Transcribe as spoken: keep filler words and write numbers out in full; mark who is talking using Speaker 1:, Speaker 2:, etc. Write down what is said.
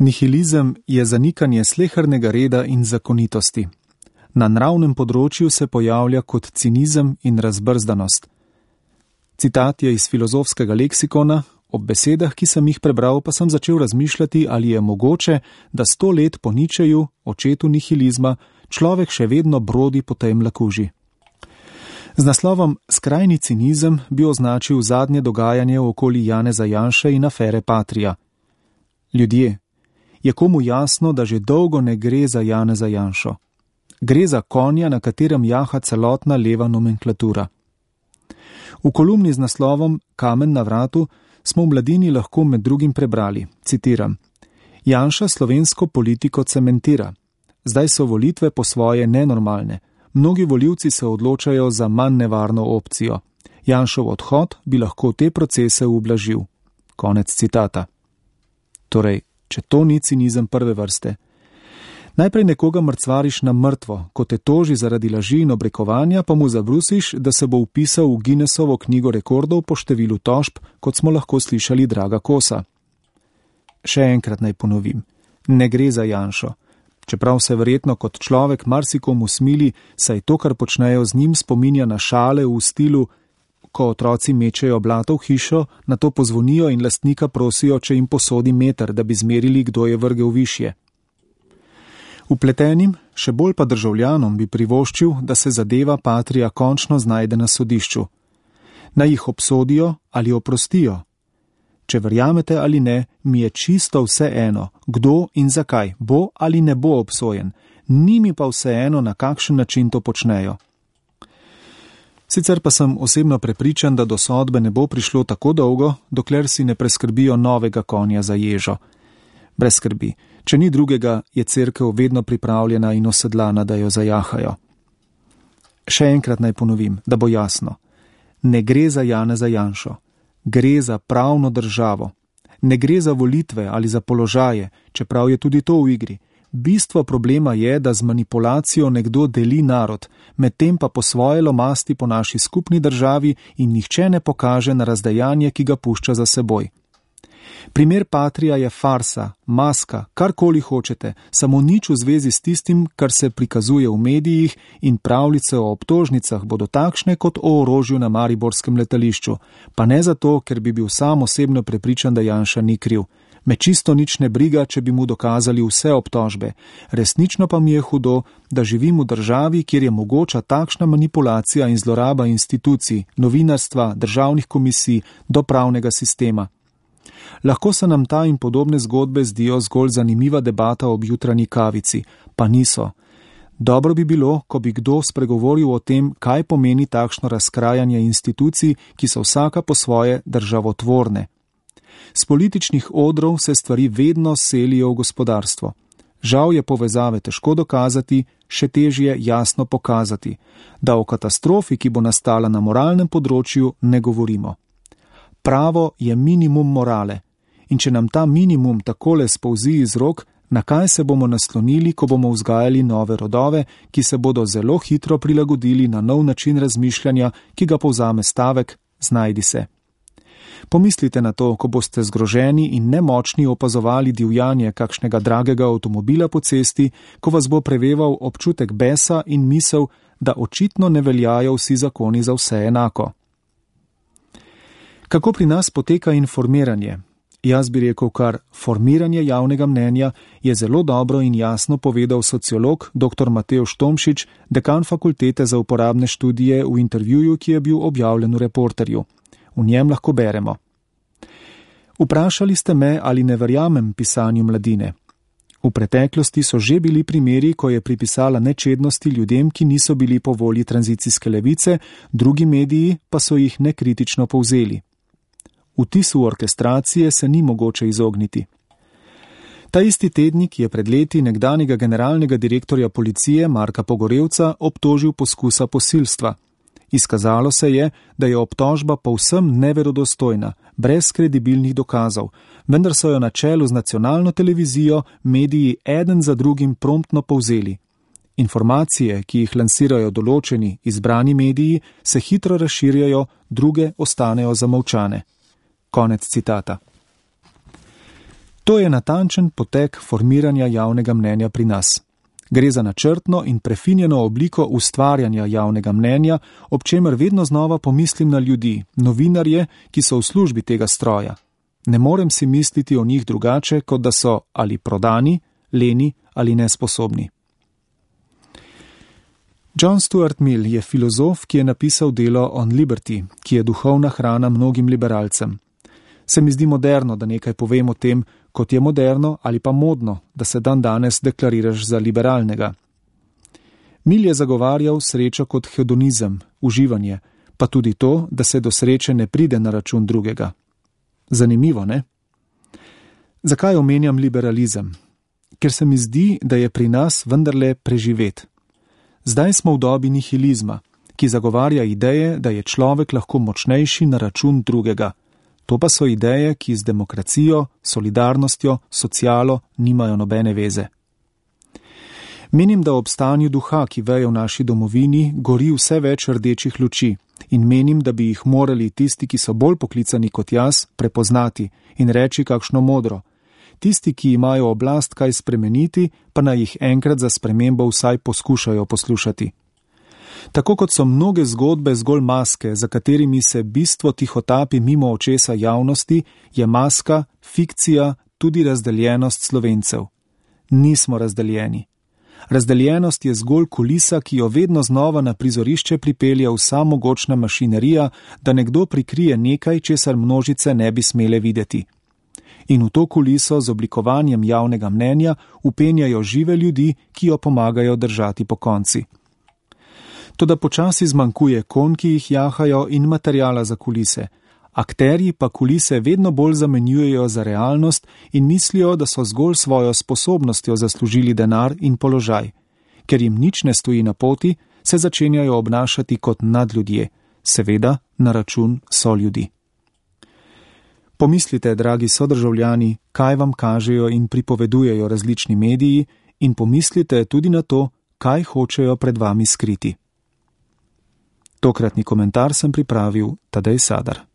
Speaker 1: Nihilizem je zanikanje slehernega reda in zakonitosti. Na nravnem področju se pojavlja kot cinizem in razbrzdanost. Citat je iz filozofskega leksikona, ob besedah, ki sem jih prebral, pa sem začel razmišljati, ali je mogoče, da sto let po Ničeju, očetu nihilizma, človek še vedno brodi po tej mlakuži. Z naslovom Skrajni cinizem bi označil zadnje dogajanje okoli Janeza Janše in afere Patria. Ljudje, je komu jasno, da že dolgo ne gre za Janeza Janšo. Gre za konja, na katerem jaha celotna leva nomenklatura. V kolumni z naslovom Kamen na vratu smo v Mladini lahko med drugim prebrali, citiram: Janša slovensko politiko cementira. Zdaj so volitve po svoje nenormalne. Mnogi volivci se odločajo za manj nevarno opcijo. Janšov odhod bi lahko te procese ublažil. Konec citata. Torej, če to ni cinizem prve vrste. Najprej nekoga mrcvariš na mrtvo, ko te toži zaradi laži in obrekovanja, pa mu zabrusiš, da se bo vpisal v Guinnessovo knjigo rekordov po številu tožb, kot smo lahko slišali Draga Kosa. Še enkrat naj ponovim, ne gre za Janšo. Čeprav se verjetno kot človek marsikomu smili, saj to, kar počnejo z njim, spominja na šale v stilu, ko otroci mečejo blato v hišo, nato pozvonijo in lastnika prosijo, če jim posodi meter, da bi zmerili, kdo je vrgel višje. Vpletenim, še bolj pa državljanom bi privoščil, da se zadeva Patria končno znajde na sodišču. Naj jih obsodijo ali oprostijo. Če verjamete ali ne, mi je čisto vse eno, kdo in zakaj bo ali ne bo obsojen, ni mi pa vse eno, na kakšen način to počnejo. Sicer pa sem osebno prepričan, da do sodbe ne bo prišlo tako dolgo, dokler si ne preskrbijo novega konja za ježo. Brez skrbi, če ni drugega, je cerkev vedno pripravljena in osedlana, da jo zajahajo. Še enkrat naj ponovim, da bo jasno. Ne gre za Janeza Janšo. Gre za pravno državo. Ne gre za volitve ali za položaje, čeprav je tudi to v igri. Bistvo problema je, da z manipulacijo nekdo deli narod, medtem pa po svoje lomasti po naši skupni državi in nihče ne pokaže na razdejanje, ki ga pušča za seboj. Primer Patria je farsa, maska, karkoli hočete, samo nič v zvezi s tistim, kar se prikazuje v medijih, in pravljice o obtožnicah bodo takšne kot o orožju na mariborskem letališču, pa ne zato, ker bi bil sam osebno prepričan, da Janša ni kriv. Me čisto nič ne briga, če bi mu dokazali vse obtožbe. Resnično pa mi je hudo, da živim v državi, kjer je mogoča takšna manipulacija in zloraba institucij, novinarstva, državnih komisij, do pravnega sistema. Lahko se nam ta in podobne zgodbe zdijo zgolj zanimiva debata ob jutranji kavici, pa niso. Dobro bi bilo, ko bi kdo spregovoril o tem, kaj pomeni takšno razkrajanje institucij, ki so vsaka po svoje državotvorne. S političnih odrov se stvari vedno selijo v gospodarstvo. Žal je povezave težko dokazati, še težje jasno pokazati, da o katastrofi, ki bo nastala na moralnem področju, ne govorimo. Pravo je minimum morale, in če nam ta minimum takole spolzi iz rok, na kaj se bomo naslonili, ko bomo vzgajali nove rodove, ki se bodo zelo hitro prilagodili na nov način razmišljanja, ki ga povzame stavek znajdi se. Pomislite na to, ko boste zgroženi in nemočni opazovali divjanje kakšnega dragega avtomobila po cesti, ko vas bo preveval občutek besa in misel, da očitno ne veljajo vsi zakoni za vse enako. Kako pri nas poteka informiranje? Jaz bi rekel kar formiranje javnega mnenja, je zelo dobro in jasno povedal sociolog dr. Matevž Tomšič, dekan fakultete za uporabne študije, v intervjuju, ki je bil objavljen v Reporterju. V njem lahko beremo. Vprašali ste me, ali ne verjamem pisanju Mladine. V preteklosti so že bili primeri, ko je pripisala nečednosti ljudem, ki niso bili po volji tranzicijske levice, drugi mediji pa so jih nekritično povzeli. Vtisu orkestracije se ni mogoče izogniti. Ta isti tednik je pred leti nekdanjega generalnega direktorja policije Marka Pogorevca obtožil poskusa posilstva. Izkazalo se je, da je obtožba povsem neverodostojna, brez kredibilnih dokazov, vendar so jo na čelu z nacionalno televizijo mediji eden za drugim promptno povzeli. Informacije, ki jih lansirajo določeni izbrani mediji, se hitro razširjajo, druge ostanejo zamolčane. Konec citata. To je natančen potek formiranja javnega mnenja pri nas. Gre za načrtno in prefinjeno obliko ustvarjanja javnega mnenja, ob čemer vedno znova pomislim na ljudi, novinarje, ki so v službi tega stroja. Ne morem si misliti o njih drugače, kot da so ali prodani, leni ali nesposobni. John Stuart Mill je filozof, ki je napisal delo On Liberty, ki je duhovna hrana mnogim liberalcem. Se mi zdi moderno, da nekaj povem o tem, kot je moderno ali pa modno, da se dan danes deklariraš za liberalnega. Mill je zagovarjal srečo kot hedonizem, uživanje, pa tudi to, da se do sreče ne pride na račun drugega. Zanimivo, ne? Zakaj omenjam liberalizem? Ker se mi zdi, da je pri nas vendarle preživet. Zdaj smo v dobi nihilizma, ki zagovarja ideje, da je človek lahko močnejši na račun drugega. To pa so ideje, ki z demokracijo, solidarnostjo, socialo nimajo nobene veze. Menim, da ob stanju duha, ki veje v naši domovini, gori vse več rdečih luči in menim, da bi jih morali tisti, ki so bolj poklicani kot jaz, prepoznati in reči kakšno modro. Tisti, ki imajo oblast kaj spremeniti, pa naj jih enkrat za spremembo vsaj poskušajo poslušati. Tako kot so mnoge zgodbe zgolj maske, za katerimi se bistvo tihotapi mimo očesa javnosti, je maska, fikcija, tudi razdeljenost Slovencev. Nismo razdeljeni. Razdeljenost je zgolj kulisa, ki jo vedno znova na prizorišče pripelje vsa mogočna mašinerija, da nekdo prikrije nekaj, česar množice ne bi smele videti. In v to kuliso z oblikovanjem javnega mnenja upenjajo žive ljudi, ki jo pomagajo držati po konci. Toda počasi zmanjkuje konj, ki jih jahajo, in materijala za kulise. Akterji pa kulise vedno bolj zamenjujejo za realnost in mislijo, da so zgolj svojo sposobnostjo zaslužili denar in položaj. Ker jim nič ne stoji na poti, se začenjajo obnašati kot nadljudje, seveda na račun soljudi. Pomislite, dragi sodržavljani, kaj vam kažejo in pripovedujejo različni mediji, in pomislite tudi na to, kaj hočejo pred vami skriti. Tokratni komentar sem pripravil Tadej Sadar.